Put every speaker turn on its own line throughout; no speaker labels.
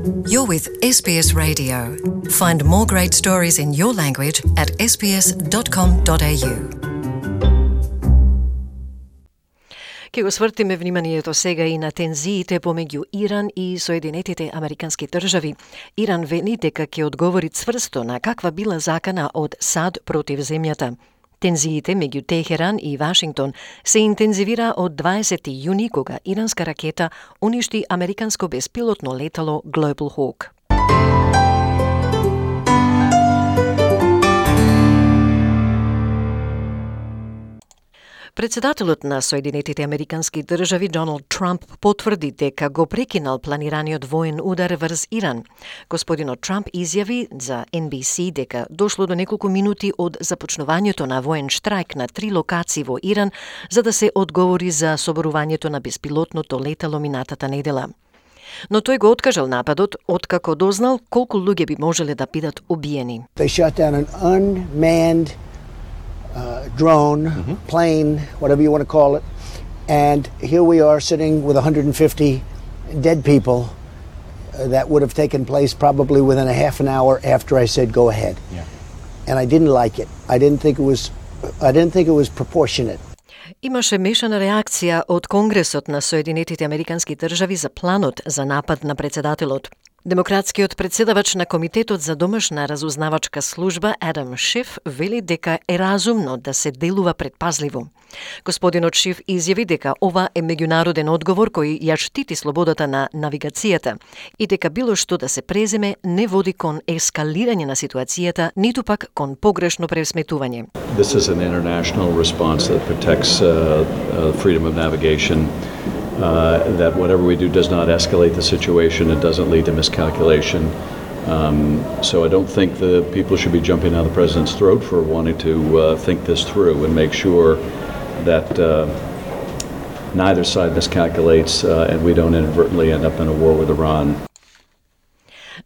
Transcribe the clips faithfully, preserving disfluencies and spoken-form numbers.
You're with S B S Radio. Find more great stories in your language at s b s dot com dot a u. Ке го свртиме вниманието сега и на тензиите помеѓу Иран и Соединетите Американски држави. Иран вели дека ќе одговори цврсто на каква била закана од САД против земјата. Тензиите меѓу Техеран и Вашингтон се интензивира од дваесети јуни кога иранска ракета уништи американско беспилотно летало Global Hawk. Председателот на Соединетите Американски држави Доналд Трамп потврди дека го прекинал планираниот воен удар врз Иран. Господинот Трамп изјави за Ен Би Си дека дошло до неколку минути од започнувањето на воен штрајк на три локации во Иран за да се одговори за соборувањето на беспилотното летало минатата недела. Но тој го откажал нападот откако дознал колку луѓе би можеле да бидат убиени.
They shot down an unmanned Uh, drone, mm-hmm. plane, whatever you want to call it. And here we are sitting with one hundred fifty dead people uh, that would have taken place probably within a half an hour after I said go ahead. Yeah. And I didn't like it. I didn't think it was I didn't think it was proportionate.
Имаше мешана реакција од Конгресот на Соединетите Американски држави за планот за напад на председателот. Демократскиот председавач на Комитетот за домашна разузнавачка служба Адам Шиф вели дека е разумно да се делува предпазливо. Господинот Шиф изјави дека ова е меѓународен одговор кој ја штити слободата на навигацијата и дека било што да се преземе не води кон ескалирање на ситуацијата, ниту пак кон погрешно пресметување.
This is an international response that protects uh, uh, freedom of navigation. Uh, that whatever we do does not escalate the situation, it doesn't lead to miscalculation. Um, so I don't think the people should be jumping down the president's throat for wanting to uh, think this through and make sure that uh, neither side miscalculates uh, and we don't inadvertently end up in a war with Iran.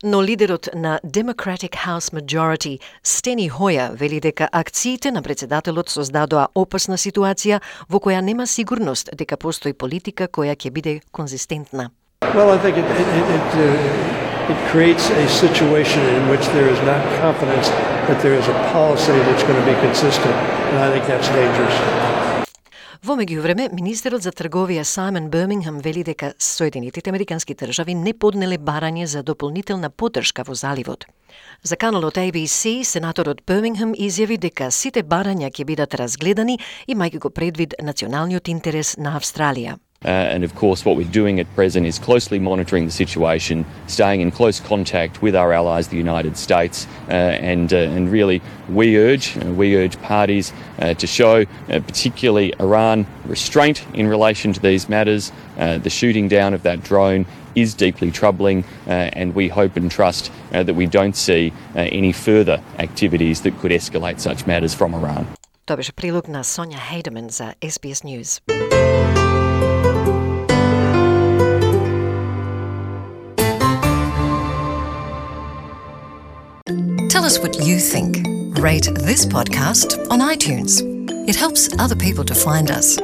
Но лидерот на Democratic House Majority, Стени Хоја, вели дека акциите на председателот создадоа опасна ситуација во која нема сигурност дека постои политика која ќе биде конзистентна.
Well, I think it, it, it, uh, it creates a situation in which there is not confidence that there is a policy that's going to be consistent, and I think that's dangerous.
Во меѓувреме, министерот за трговија Сајмон Бирмингем вели дека Соединетите Американски држави не поднеле барање за дополнителна поддршка во заливот. За каналот А Би Си, сенаторот Бирмингем изјави дека сите барања ќе бидат разгледани, имајќи го предвид националниот интерес на Австралија.
Uh, and of course what we're doing at present is closely monitoring the situation, staying in close contact with our allies, the United States, uh, and uh, and really we urge uh, we urge parties uh, to show, uh, particularly Iran, restraint in relation to these matters. Uh, the shooting down of that drone is deeply troubling, uh, and we hope and trust uh, that we don't see uh, any further activities that could escalate such matters from Iran.
Тоа беше прилог на Сонја Хейдеман за Ес Би Ес News. Tell us what you think. Rate this podcast on iTunes. It helps other people to find us.